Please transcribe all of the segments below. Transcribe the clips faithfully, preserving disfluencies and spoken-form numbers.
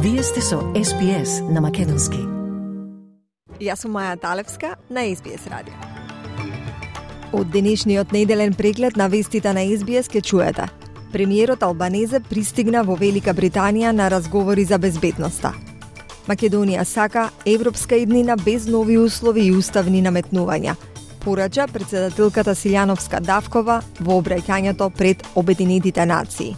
Вие сте со Ес Би Ес на Македонски. Јас сум Маја Талевска на Ес Би Ес радио. Од денешниот неделен преглед на вестите на Ес Би Ес ке чуете. Премиерот Албанезе пристигна во Велика Британија на разговори за безбедноста. Македонија сака европска иднина без нови услови и уставни наметнувања, порача председателката Силјановска Давкова во обраќањето пред Обединетите нации.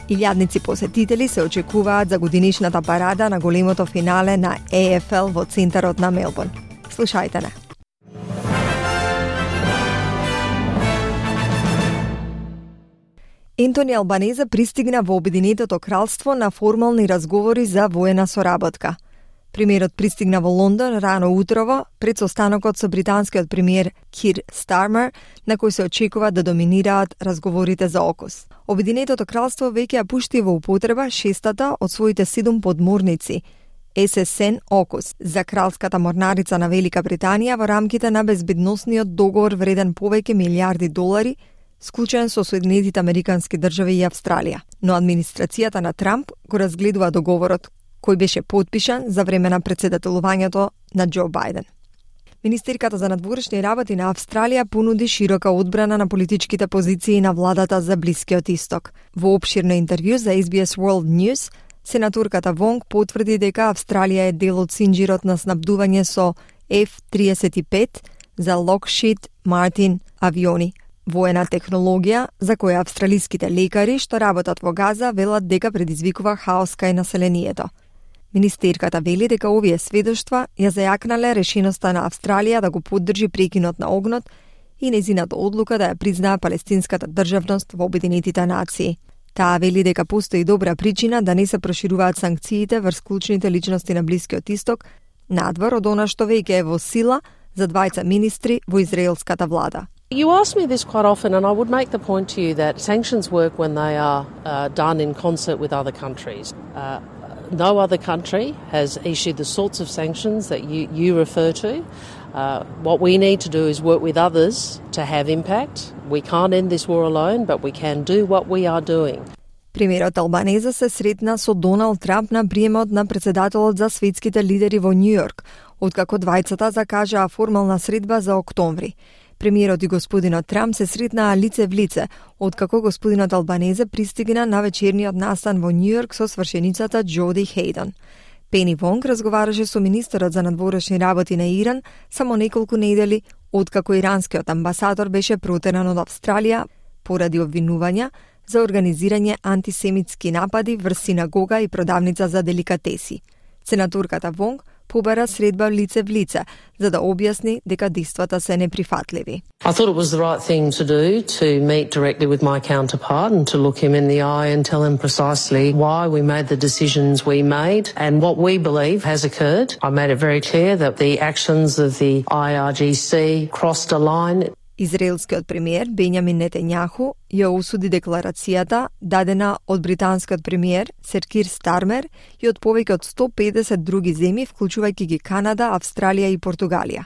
Илјадници посетители се очекуваат за годинишната парада на големото финале на Е Еф Ел во центарот на Мелбурн. Слушајте не. Ентони Албанезе пристигна во Обединетото кралство на формални разговори за воена соработка. Премиерот пристигна во Лондон рано утрово пред состанокот со британскиот премиер Кир Стармер, на кој се очекува да доминираат разговорите за ОКУС. Обединетото кралство веќе ја пушти во употреба шестата од своите седум подморници Ес Ес Ен ОКУС за кралската морнарица на Велика Британија во рамките на безбедносниот договор вреден повеќе милиарди долари, склучен со Соединетите Американски држави и Австралија. Но администрацијата на Трамп го разгледува договорот, кој беше потпишан за време на председателувањето на Џо Бајден. Министерката за надворешни работи на Австралија понуди широка одбрана на политичките позиции на владата за Блискиот Исток. Во опширно интервју за Ес Би Ес World News, сенаторката Вонг потврди дека Австралија е дел од синџирот на снабдување со Еф триесет и пет за Lockheed Martin авиони, воена технологија за која австралиските лекари што работат во Газа велат дека предизвикува хаос кај населението. Министерката вели дека овие сведоштва ја зајакнале решеноста на Австралија да го поддржи прекинот на огнот и нејзината одлука да ја признае палестинската државност во Обединетите нации. Таа вели дека постои добра причина да не се прошируваат санкциите врз клучните личности на Блискиот Исток, надвор од она што веќе е во сила за двајца министри во израелската влада. You ask me this quite often, and I would make the point to you that sanctions work when they are uh, done in concert with other countries. Uh, no other country has issued the sorts of sanctions that you, you refer to. Uh, what we need to do is work with others to have impact. We can't end this war alone, but we can do what we are doing. Премиерот Албанезе се сретна со Доналд Трамп на приемот на председателот за светските лидери во Њујорк, откако двајцата закажаа формална средба за октомври. Премиерот и господинот Трамп се сретнаа лице в лице, откако господинот Албанезе пристигна на вечерниот настан во Њујорк со свршеницата Џоди Хејдон. Пени Вонг разговараше со министерот за надворешни работи на Иран само неколку недели откако иранскиот амбасадор беше протеран од Австралија поради обвинувања за организирање антисемитски напади врз синагога и продавница за деликатеси. Сенаторката Вонг побара средба лице в лице, за да објасни дека действата се неприфатливи. I thought it was the right thing to do to meet directly with my counterpart and to look him in the eye and tell him precisely why we made the decisions we made and what we believe has occurred. I made it very clear that the actions of the I R G C crossed a line. Израелскиот премиер Бенјамин Нетањаху ја осуди декларацијата дадена од британскиот премиер Сер Кир Стармер и од повеќе од сто педесет други земји, вклучувајќи ги Канада, Австралија и Португалија.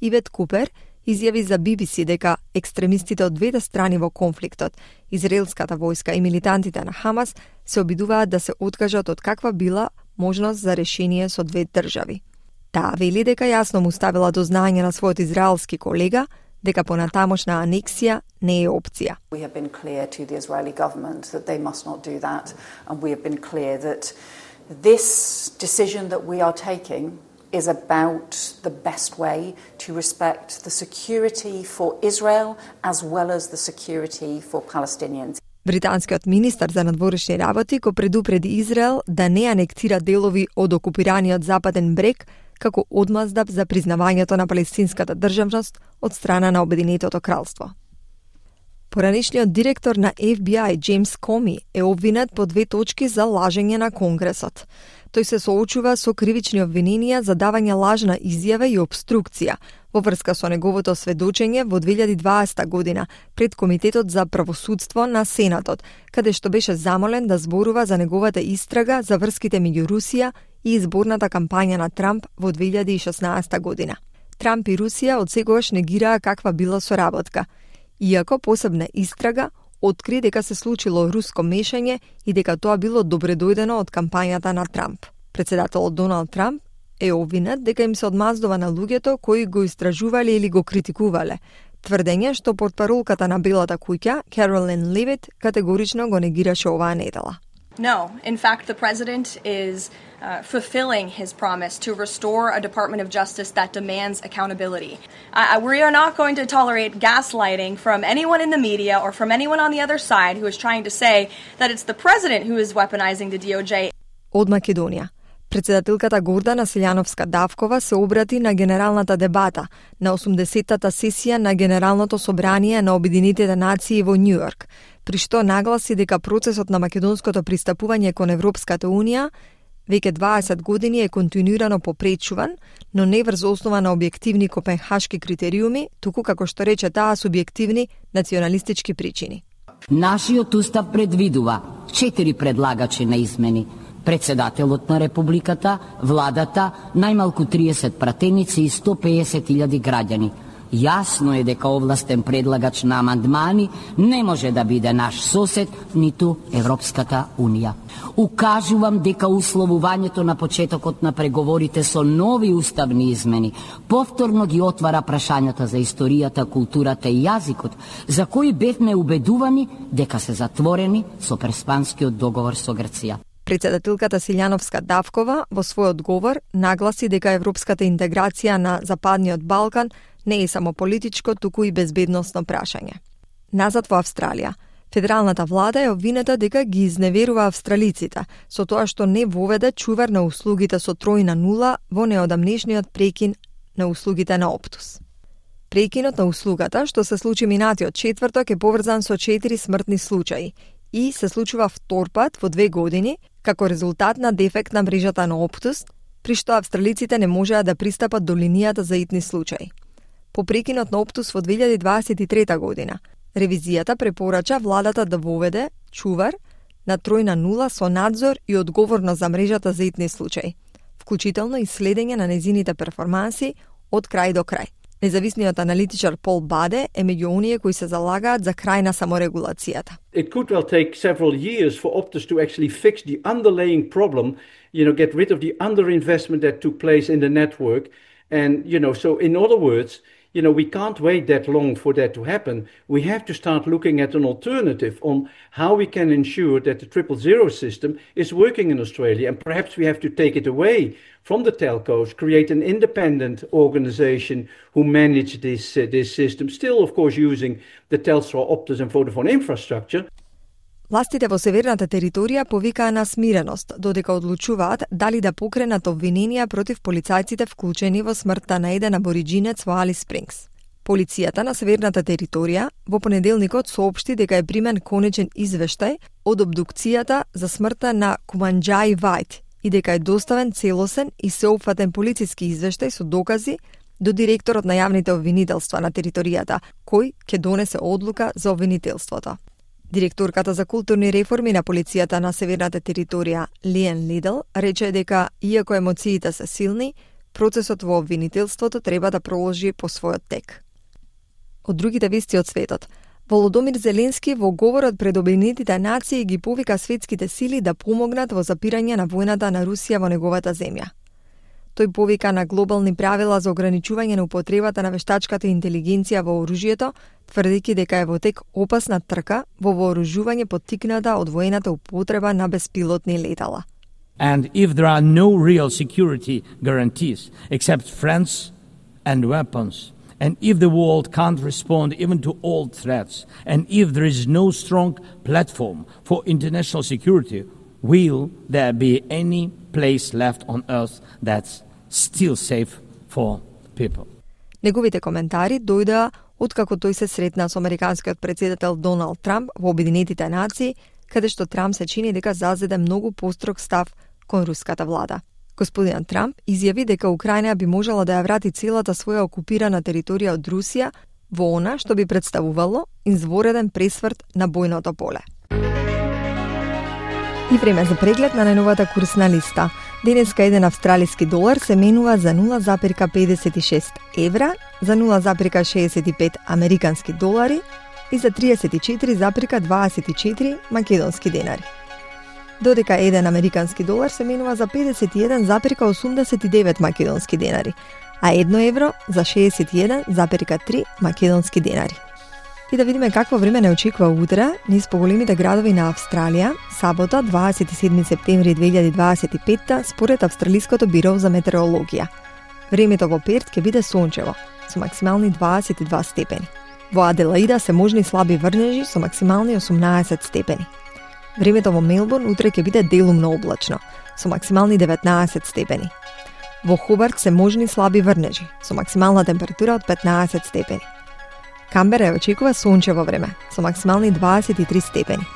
Ивет Купер изјави за Би Би Си дека екстремистите од двете страни во конфликтот, израелската војска и милитантите на Хамас, се обидуваат да се откажат од каква била можност за решение со две држави. Таа вели дека јасно му ставила до знаење на својот израелски колега дека понатамошна анексија не е опција. We have been clear to the Israeli government that they must not do that, and we have been clear that this decision that we are taking is about the best way to respect the security for Israel as well as the security for Palestinians. Британскиот министар за надворешни работи го предупреди Израел да не анектира делови од окупираниот Западен брег како одмаздав за признавањето на палестинската државност од страна на Обединетото кралство. Поранешниот директор на Еф Би Ај Џејмс Коми е обвинет по две точки за лажење на Конгресот. Тој се соочува со кривични обвиненија за давање лажна изјава и обструкција во врска со неговото сведочење во две илјади и дваесета година пред Комитетот за правосудство на Сенатот, каде што беше замолен да зборува за неговата истрага за врските меѓу Русија и изборната кампања на Трамп во две илјади и шеснаесета година. Трамп и Русија од секогаш негираа каква била соработка, иако посебна истрага откри дека се случило руско мешање и дека тоа било добредојдено од кампањата на Трамп. Председателот Доналд Трамп е обвинет дека им се одмаздува на луѓето кои го истражувале или го критикувале, тврдење што портпаролката на Белата куќа, Каролин Левит, категорично го негираше оваа недела. No, in fact, the president is uh, fulfilling his promise to restore a Department of Justice that demands accountability. Uh, we are not going to tolerate gaslighting from anyone in the media or from anyone on the other side who is trying to say that it's the president who is weaponizing the D O J. Од Македонија. Председателката Гордана Селјановска-Давкова се обрати на генералната дебата на осумдесеттата сесија на Генералното собрание на Обединетите нации во Њујорк, при што нагласи дека процесот на македонското пристапување кон Европската Унија веќе дваесет години е континуирано попречуван, но не врз основа на објективни копенхашки критериуми, туку како што рече таа субјективни националистички причини. Нашиот устав предвидува четири предлагачи на измени: председателот на Републиката, владата, најмалку триесет пратеници и сто пеесет илјади граѓани. Јасно е дека овластен предлагач на амандмани не може да биде наш сосед, ниту Европската Унија. Укажувам дека условувањето на почетокот на преговорите со нови уставни измени повторно ги отвара прашањата за историјата, културата и јазикот, за кои бевме убедувани дека се затворени со Преспанскиот договор со Грција. Председателката Селјановска-Давкова во свој одговор нагласи дека европската интеграција на Западниот Балкан не е само политичко, туку и безбедносно прашање. Назад во Австралија, федералната влада е обвинета дека ги изневерува австралиците со тоа што не воведе чувар на услугите со тројна нула во неодамнешниот прекин на услугите на Оптус. Прекинот на услугата, што се случи минатиот четврток, е поврзан со четири смртни случаи и се случува втор пат во две години како резултат на дефект на мрежата на Оптус, при што австралиците не можеа да пристапат до линијата за итни случаи. По прекинот на Оптус во две илјади дваесет и трета година, ревизијата препорача владата да воведе чувар на тројна нула со надзор и одговорност за мрежата за итни случаи, вклучително и следење на незините перформанси од крај до крај. Независниот аналитичар Пол Баде е меѓу оние кои се залагаат за крај на саморегулацијата. It could well take several years for Optus to actually fix the underlying problem, you know, get rid of the underinvestment that took place in the network. And, you know, so in other words, you know, we can't wait that long for that to happen. We have to start looking at an alternative on how we can ensure that the triple zero system is working in Australia. And perhaps we have to take it away from the telcos, create an independent organization who manage this, uh, this system, still, of course, using the Telstra, Optus and Vodafone infrastructure. Властите во северната територија повикаа на смиреност, додека одлучуваат дали да покренат обвиненија против полицајците вклучени во смртта на еден абориџинец во Алис Спрингс. Полицијата на северната територија во понеделникот соопшти дека е примен конечен извештај од обдукцијата за смртта на Куманџаи Вајт и дека е доставен целосен и сеопфатен полициски извештај со докази до директорот на јавните обвинителства на територијата, кој ќе донесе одлука за обвинителството. Директорката за културни реформи на полицијата на северната територија Лиен Лидл рече дека, иако емоциите се силни, процесот во обвинителството треба да проложи по својот тек. Од другите вести од светот, Володомир Зеленски во говорот пред Обединетите нации ги повика светските сили да помогнат во запирање на војната на Русија во неговата земја. Тој повика на глобални правила за ограничување на употребата на вештачката интелигенција во оружјето, тврдејќи дека е во тек опасна трка во вооружување поттикната од воената употреба на беспилотни летала. And if there are no real security guarantees except friends and weapons, and if the world can't respond even to old threats, and if there is no strong platform for international security, will there be any place left on earth that's still safe for people? Неговите коментари дојдоа откако тој се сретна со американскиот председател Доналд Трамп во Обединетите нации, каде што Трамп се чини дека зазеде многу построг став кон руската влада. Господин Трамп изјави дека Украина би можела да ја врати целата своја окупирана територија од Русија во она што би представувало извореден пресврт на бојното поле. И време за преглед на најновата курсна листа. Денеска еден австралиски долар се менува за нула запирка педесет и шест евра, за нула запирка шеесет и пет американски долари и за триесет и четири запирка дваесет и четири македонски денари. додека еден американски долар се менува за педесет и еден зарез осумдесет и девет македонски денари, а едно евро за шеесет и еден зарез три македонски денари. И да видиме какво време не очекува утре низ поголемите градови на Австралија, сабота, дваесет и седми септември две илјади дваесет и петта, според Австралиското биро за метеорологија. Времето во Перт ќе биде сончево, со максимални дваесет и два степени. Во Аделаида се можни слаби врнежи со максимални осумнаесет степени. Времето во Мелбурн утре ќе биде делумно облачно, со максимални деветнаесет степени. Во Хобарт се можни слаби врнежи, со максимална температура од петнаесет степени. Камбера очекува сончево време, со максимални дваесет и три степени.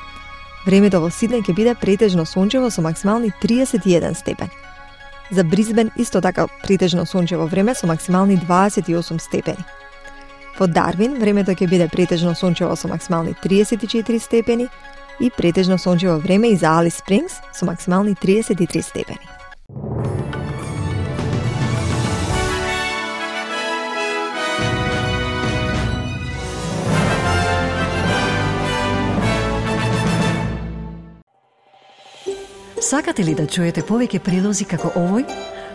Времето во Сиднеј ќе биде претежно сончево со максимални триесет и еден степен. За Брисбен исто така претежно сончево време со максимални дваесет и осум степени. Во Дарвин времето ќе биде претежно сончево со максимални триесет и четири степени и претежно сончево време и за Алис Спрингс со максимални триесет и три степени. Сакате ли да чуете повеќе прилози како овој?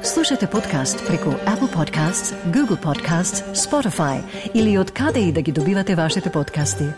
Слушате подкаст преку Apple Podcasts, Google Podcasts, Spotify или од каде и да ги добивате вашите подкасти.